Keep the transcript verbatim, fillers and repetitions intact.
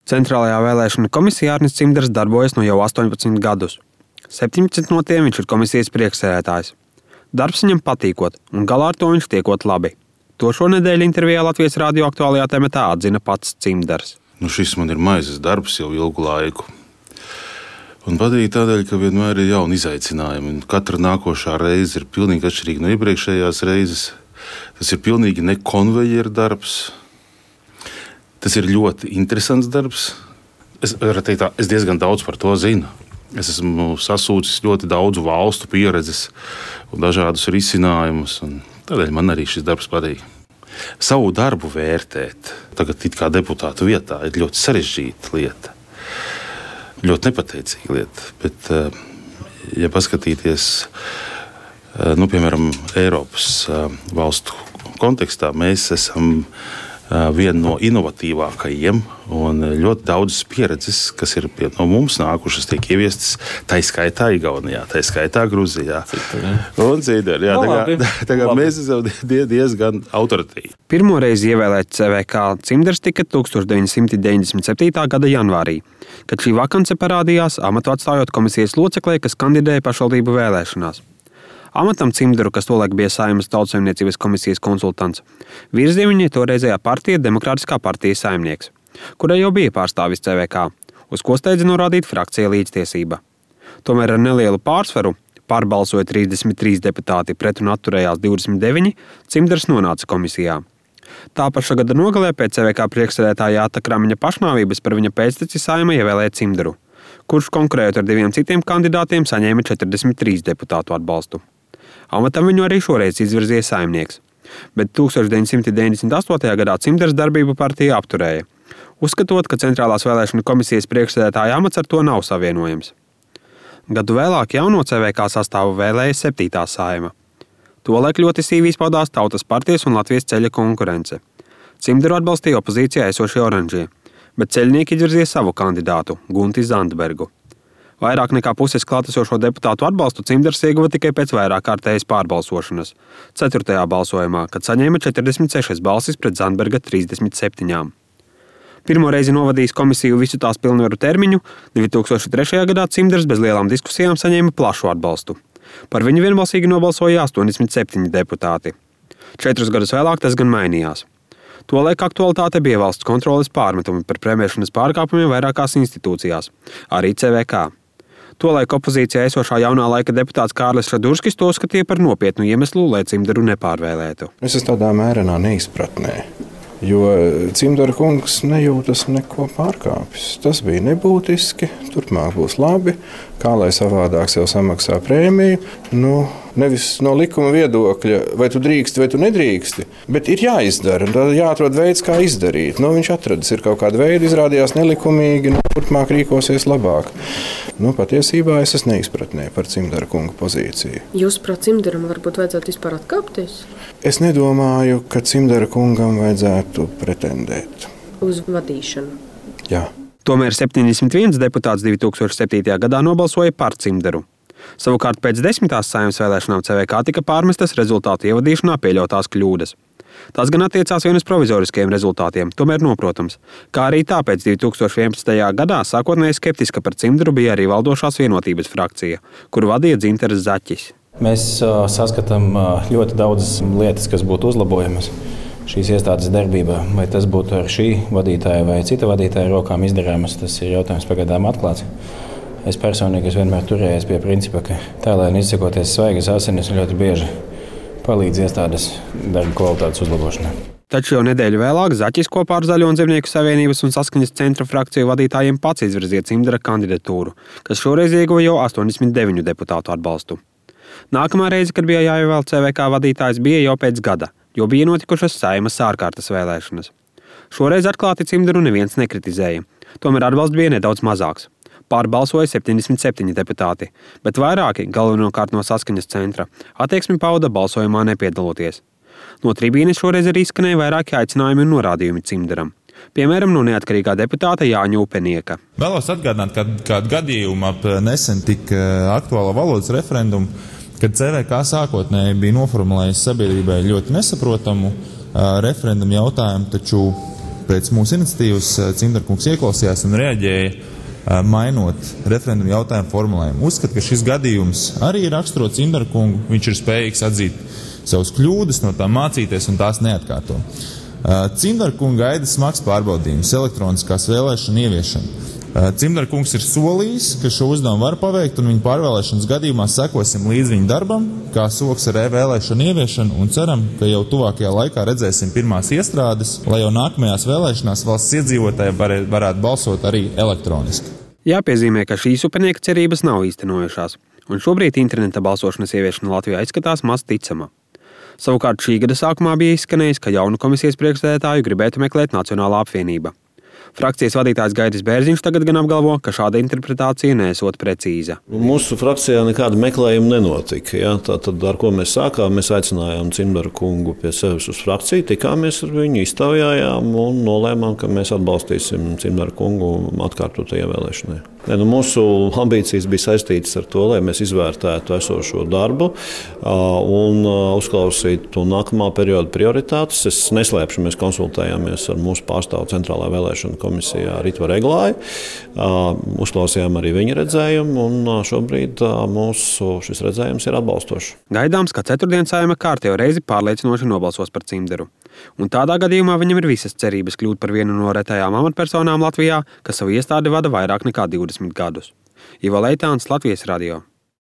Centrālajā vēlēšana komisijā Arnis Cimders darbojas no jau astoņpadsmit gadus. septiņpadsmit no tiem viņš ir komisijas priekšsēdētājs. Darbs viņam patīkot, un galā ar to viņš tiekot labi. To šonedēļ intervijā Latvijas radio aktuālajā tematā atzina pats Cimders. Nu, šis man ir maizes darbs jau ilgu laiku. Un patīk tādēļ, ka vienmēr ir jauni izaicinājumi. Un katra nākošā reize ir pilnīgi atšķirīga no iepriekšējās reizes. Tas ir pilnīgi ne konvejeru darbs. Tas ir ļoti interesants darbs. Es, teikt, tā, es diezgan daudz par to zinu. Es esmu sasūcis ļoti daudzu valstu pieredzes un dažādus risinājumus. Un tādēļ man arī šis darbs patīk. Savu darbu vērtēt, tagad it kā deputātu vietā, ir ļoti sarežģīta lieta. Ļoti nepateicīga lieta. Bet, ja paskatīties, nu, piemēram, Eiropas valstu kontekstā, mēs esam viena no inovatīvākajiem un ļoti daudzas pieredzes, kas ir no mums nākušas, tiek ieviestas tā skaitā Igaunijā, tā skaitā Gruzijā. Un citur. Jā, tā kā, tā kā mēs esam diezgan autoritīvi. Pirmo reizi ievēlēt C V K Cimders tika deviņdesmit deviņdesmit septītā gada janvārī, kad šī vakance parādījās amatu atstājot komisijas loceklē, kas kandidēja pašvaldību vēlēšanās. Amatam Cimderu, kas tolaik bija Saeimas Tautsaimniecības komisijas konsultants, virzīja viņa toreizējā partija Demokrātiskā partija Saimnieks, kurai jau bija pārstāvis C V K, uz ko steidza norādīt frakcija Līdztiesība. Tomēr ar nelielu pārsvaru, pārbalsoja trīsdesmit trīs deputāti pret un atturējās divdesmit deviņi, Cimders nonāca komisijā. Tā paša gada nogalē pēc C V K priekšsēdētāja Jāta Kramiņa pašnāvības par viņa pēcteci Saeima ievēlēja Cimderu, kurš konkurējot ar diviem citiem kandidātiem saņēma četrdesmit trīs deputātu atbalstu. Amatam viņu arī šoreiz izvirzīja Saimnieks, bet deviņdesmit deviņdesmit astotajā gadā Cimders darbību partija apturēja, uzskatot, ka Centrālās vēlēšana komisijas priekšsēdētāja amats ar to nav savienojams. Gadu vēlāk jauno C V K sastāvu vēlēja septītā Saeima. Tolaik ļoti sīvi izpaudās Tautas partijas un Latvijas ceļa konkurence. Cimderu atbalstīja opozīcijā esošie oranžie, bet ceļnieki izvirzīja savu kandidātu, Gunti Zandbergu. Vairāk nekā puses klātesošo deputātu atbalstu Cimders ieguva tikai pēc vairāk kārtējas pārbalsošanas, ceturtajā balsojumā, kad saņēma četrdesmit sešas balsis pret Zandberga trīsdesmit septiņām. Pirmo reizi novadījis komisiju visu tās pilnvaru termiņu, divi tūkstoši trešajā gadā Cimders bez lielām diskusijām saņēma plašu atbalstu. Par viņu vienbalsīgi nobalsoja astoņdesmit septiņi deputāti. Četrus gadus vēlāk tas gan mainījās. Tolaik aktualitāte bija valsts kontroles pārmetumi par premjeršanas pārkāpumiem vairākās institūcijās, arī C V K. Tolaik opozīcijā esošā jaunā laika deputāts Kārlis Šadurskis to uzskatīja par nopietnu iemeslu, lai Cimderu nepārvēlētu. Es esmu tādā mērenā neizpratnē, jo Cimdera kungs nejūtas neko pārkāpis. Tas bija nebūtiski, turpmāk būs labi, kā lai savādāk sev samaksā prēmiju. Nu, nevis no likuma viedokļa, vai tu drīksti, vai tu nedrīksti, bet ir jāizdara, un tad jāatrod veids, kā izdarīt. Nu, viņš atradis, ir kaut kāda veida, izrādījās nelikumīgi, nu, turpmāk rīkosies labāk. Nu, patiesībā es esmu neizpratnē par Cimdera kunga pozīciju. Jūs prāt Cimderam varbūt vajadzētu vispār atkāpties? Es nedomāju, ka Cimdera kungam vajadzētu pretendēt. Uz vadīšanu? Jā. Tomēr septiņdesmit viens deputāts divi tūkstoši septītajā gadā nobalsoja par Cimderu. Savukārt pēc desmitās Saeimas vēlēšanām C V K tika pārmestas rezultātu ievadīšanā pieļautās kļūdas. Tas gan attiecās vien uz provizoriskiem rezultātiem, tomēr noprotams, kā arī tāpēc divi tūkstoši vienpadsmitajā gadā sākotnēji skeptiska par Cimderu bija arī valdošās vienotības frakcija, kuru vadīja Dzinteris Zaķis. Mēs uh, saskatām uh, ļoti daudzas lietas, kas būtu uzlabojamas šīs iestādes darbībā. Vai tas būtu ar šī vadītāja vai cita vadītāja rokām izdarāmas, tas ir jautājums pagaidām atklāts. Es personīgi esmu vienmēr turējies pie principa, ka tēlēni izsakoties svaigas asinis ļoti bieži palīdz iestādes darba kvalitātes uzlabošanai. Taču jau nedēļu vēlāk Zaķis kopā ar Zaļo un Zemnieku savienības un Saskaņas centra frakciju vadītājiem pats izvirzīja Cimdera kandidatūru, kas šoreiz ieguva jau astoņdesmit deviņu deputātu atbalstu. Nākamā reize, kad bija jāievēl C V K vadītājs, bija jau pēc gada, jo bija notikušas Saeimas ārkārtas vēlēšanas. Šoreiz atklāti Cimderu neviens nekritizēja, tomēr atbalsts bija nedaudz mazāks. Pārbalsoja septiņdesmit septiņi deputāti, bet vairāki, galvenokārt no Saskaņas centra, attieksmi pauda balsojumā nepiedaloties. No tribīnes šoreiz arī izskanēja vairāki aicinājumi un norādījumi Cimderam. Piemēram, no neatkarīgā deputāta Jāņa Upenieka. Vēlos atgādināt, ka kādu gadījumu ap nesen tik aktuālo valodas referendumu, kad C V K sākotnēji bija noformulējis sabiedrībai ļoti nesaprotamu uh, referendumu jautājumu, taču pēc mūsu iniciatīvas Cimdara-kungs ieklausījās un reaģēja, mainot referendumu jautājumu formulējumu. Uzskat, ka šis gadījums arī raksturo Cimdara-kungu, viņš ir spējīgs atzīt savus kļūdas, no tām mācīties un tās neatkārto. Cimdara-kunga gaida smags pārbaudījums, elektroniskās vēlēšana ieviešana. Cimdara-kungs ir solījis, ka šo uzdevumu var paveikt, un viņa pārvēlēšanas gadījumā sekosim līdz viņa darbam, kā soks ar e-vēlēšanu ieviešanu, un ceram, ka jau tuvākajā laikā redzēsim pirmās iestrādes, lai jau nākamajās vēlēšanās valsts iedzīvotāji var, varētu balsot arī elektroniski. Jāpiezīmē, ka šīs upenieka cerības nav īstenojušās, un šobrīd interneta balsošanas ieviešana Latvijā izskatās maz ticama. Savukārt šī gada sākumā bija izskanējis, ka jaunu komisijas priekšsēdētāju gribētu meklēt Nacionālā apvienība. Frakcijas vadītājs Gaidis Bērziņš tagad gan apgalvo, ka šāda interpretācija nesot precīza. Mūsu frakcijā nekāda meklējuma nenotika. Ja? Tātad, ar ko mēs sākām, mēs aicinājām Cimdara kungu pie sevis uz frakciju, tikāmies ar viņu, iztaujājām un nolēmām, ka mēs atbalstīsim Cimdara kungu atkārtotai ievēlēšanai. Ne, nu, mūsu ambīcijas bija saistītas ar to, lai mēs izvērtētu esošo darbu un uzklausītu nākamā perioda prioritātes. Es neslēpšu, mēs konsultējāmies ar mūsu pārstāvu Centrālā vēlēšana komisijā Ritvaru Eglāju. Uzklausījām arī viņa redzējumu, un šobrīd mūsu šis redzējums ir atbalstošs. Gaidāms, ka ceturtdien Saeima kārtējo reizi pārliecinoši nobalsos par Cimdaru. Un tādā gadījumā viņam ir visas cerības kļūt par vienu no retajām amatpersonām Latvijā, kas savu iestādi vada vairāk nekā divdesmit gadus. Ivo Leitāns, Latvijas radio.